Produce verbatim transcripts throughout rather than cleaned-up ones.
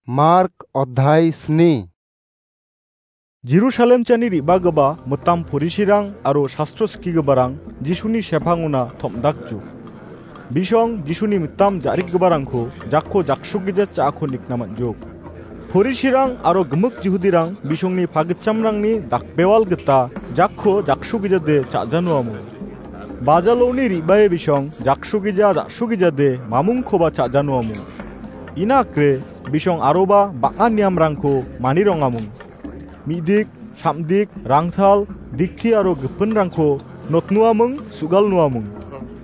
Mark odhai sni. Jerusalem chani re·bagipa mitam porisirang aro sastro skigiparang Jisuni sepangona tom·dakjok. Bisong Jisuni mitam ja·rikgiparangko jakko jaksugija cha·ako nikna man·jok. Porisirang aro gimik Jihudirang bisongni pagitchamrangni dakbewal gita jakko jaksugijade cha·janoamung. Bajaloni re·bae bisong jaksugija ja·sugijade mamungkoba cha·janoamung. Ina akre bisong aroba bang·a niamrangko manirongamung. Mi·dik, samdik, rangtal, dikti aro gipinrangko notnoamung, sugalnoamung.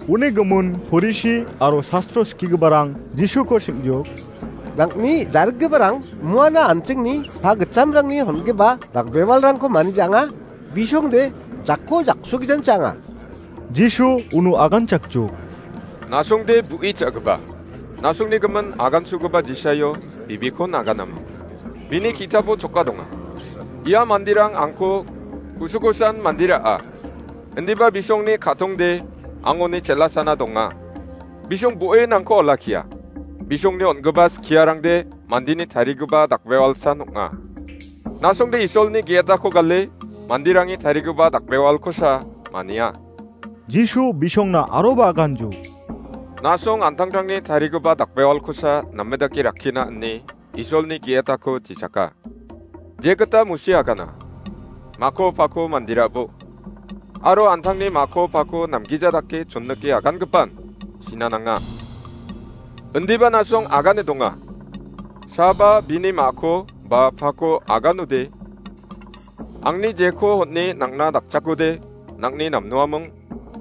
Uni gimin porisi aro sastro skigiparang Jisuko sim·jok. Nang·ni ja·rikgiparang muana an·chingni pagitchamrangni hongipa dakbewalrangko manija anga, bisongde jakko jaksugijancha anga. Jisu uno aganchakjok. Nasongde bu·i cha·gipa. Nasongni gimin agansogipa Jisaio bibikon aganama. Bini ki·tapo choka donga. Ia manderang angko kusukosan mandera·a. Indiba bisongni ka·tongde angoni chelasana donga. Bisong bo·e nangko olakkia. Bisongni on·gipa skiarangde mandeni tarigipa dakbewalsan ong·a. Nasongde Isolni ge·etako gale manderangni tarigipa dakbewalkosa mania. Jisu bisongna aroba aganjok. Nasong an·tangtangni tarigipa dakbewalkosa name dake rakkina ine Isolni ge·etako jechaka. Jegita Mosi agana. Mako pako manderabo. Aro an·tangni mako pako namgija dake chonnike agangipan sinananga. Indiba nasong agane donga. Saba bini mako ba pako aganode. Angni jeko hon·e nang·na dakchakode, nang·ni namnoaming,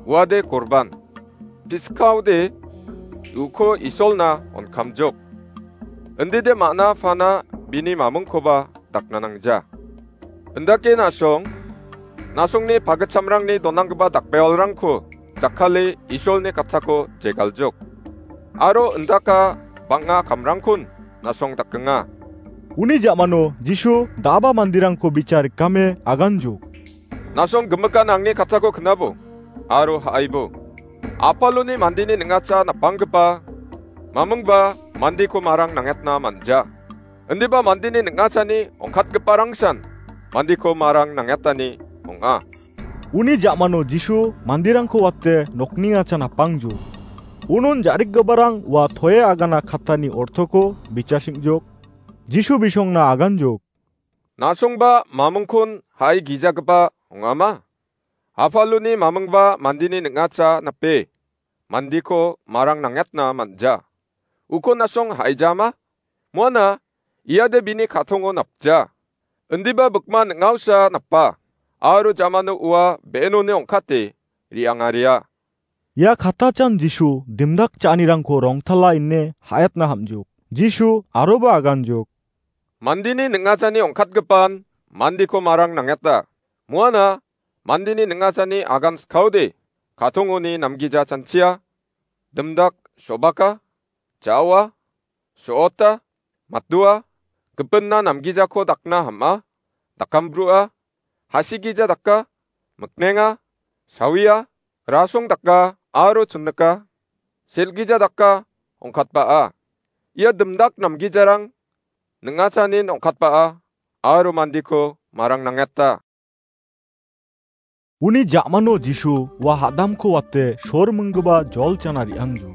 uade korban. Piskaode uko Isolna on·kamjok. Indide ma·na pana bini mamingkoba dakna nangja. Indake nasong, nasongni pagitchamrangni donanggipa dakbewalrangko jakkale Isolni kattako jegaljok. Aro indaka bang·a kamrangkon nasong dakenga. Uni ja·mano Jisu da·aba manderangko bicha rikame aganjok. Nasong gimikan angni kattako knabo aro ha·aibo. Apaloni mandeni ning·acha napanggipa mamingba mandeko marang nangetna man·ja. Indiba mandeni ning·achani ongkatgiparangsan mandeko marang nangetani ong·a. Uni ja·mano Jisu manderangko wate nokningacha napangjo. Unon ja·rikgiparang ua toe agana kattani ortoko bichasing·jok. Jisu bisongna aganjok. Nasongba mamingkon ha·e gijagipa ong·ama? Apaloni mamingba mandeni ning·acha nape mandeko marang nangetna man·ja. Uko nasong ha·ejama? Muana iade bini ka·tongo napja. Indiba bikman ning·aosa napa, aro jamano ua be·enoni ong·kate re·angaria. Ia kattachan Jisu dimdak cha·anirangko rongtala ine ha·etna ham·jok. Jisu aroba aganjok. Mandeni ning·achani ongkatgipan mandeko marang nangeta. Muana mandeni ning·achani agan skaode ka·tongoni namgija chanchia, dimdak so·baka, ja·oa, so·ota, matdoa, gipinna namgijako dakna ham·a, dakambroa, hasigija daka, miknenga, sawia, rasong daka aro chonnika, sel·gija daka ong·katbaa. Ia dimdak namgijarang ning·achanin ong·katbaa aro mandeko marang nangeta. Uni ja·mano Jisu ua hadamko wate sor minggipa jol chana re·angjok.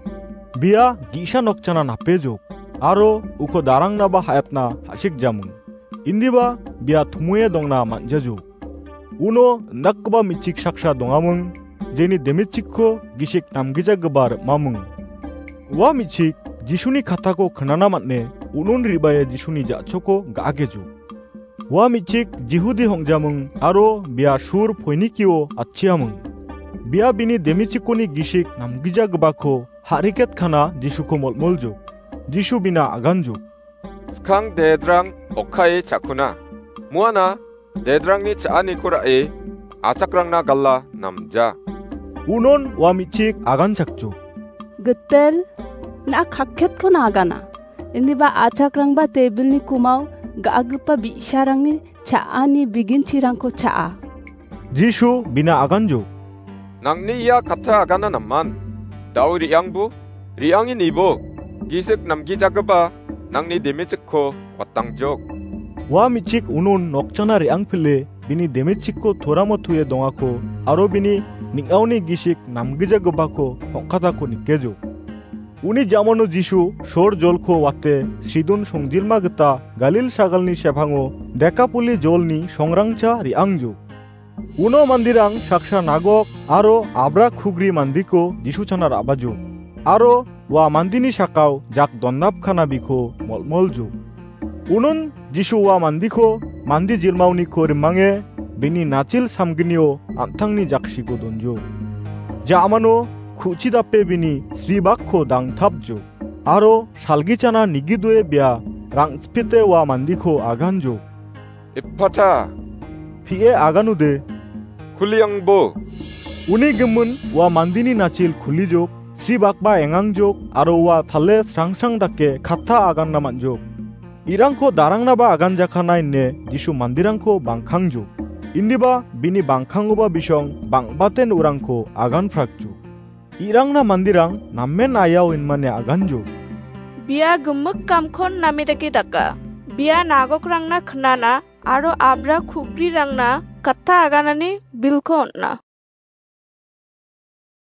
Bia ge·sa nokchana napejok, aro uko darangnaba ha·etna ha·sikjaming. Indiba bia tumoe dongna man·jajok. Uno indakgipa me·chik saksa dongaming, jeni demetchikko gisik namgijagipa rim·aming. Ua me·chik Jisuni kattako knana man·e, unon re·bae Jisuni ja·choko ga·akejok. Ua me·chik Jihudi hongjaming aro bia sur Poinikio atchiaming. Bia bini demichikoni gisik namgijagipako ha·riketkana Jisuko molmoljok. Jisu bina aganjok. Skang dedrang okkae chakuna. Muana dedrangni cha·aniko ra·e achakrangna gala namja. Unon ua me·chik aganchakjok. Gitel, na·a kakketkona agana. Indiba achakrangba tebilni kumao ga·gipa bi·sarangni cha·ani biginchirangko cha·a. Jisu bina aganjok. Nangni ia katta agana naman? Dao re·angbo, re·ange nibo, gisik namgijagipa nangni demechikko watangjok. Ua me·chik unon nokchana re·angpile bini demechikko toramo toe dongako aro bini ning·aoni gisik namgijagipako ong·katako nikejok. Uni ja·mano Jisu sor jolko wate Sidon songjilma gita Galil sagalni sepango Dekapoli jolni songrangcha re·angjok. Uno manderang saksa nagok aro abra kugri mandiko Jisu chana ra·bajok. Aro ua mandini sakao jak donnapkanabiko molmoljok. Unon Jisu ua mandiko mande jilmaoniko rimange bini nachil samgnio an·tangni jaksiko donjok. Ja·mano ku·chi dape bini sribakko dangtapjok. Aro salgichana nigidoe bia rang·sipete ua mandiko aganjok. Ephata, pie aganode, kuliangbo. Uni gimin ua mandini nachil kulijok, sribakba engangjok, aro ua tale srangsrang dake katta aganna man·jok. Irangko darangnaba aganjakana ine Jisu manderangko bangkangjok. Indiba bini bangkangoba bisong bang·baten urangko aganprakjok. Irangna manderang namen ayao inmane aganjok. Bia gimik kamkon name dake daka. Bia nagokrangna knana aro abra kugrirangna katta aganani bilko on·a.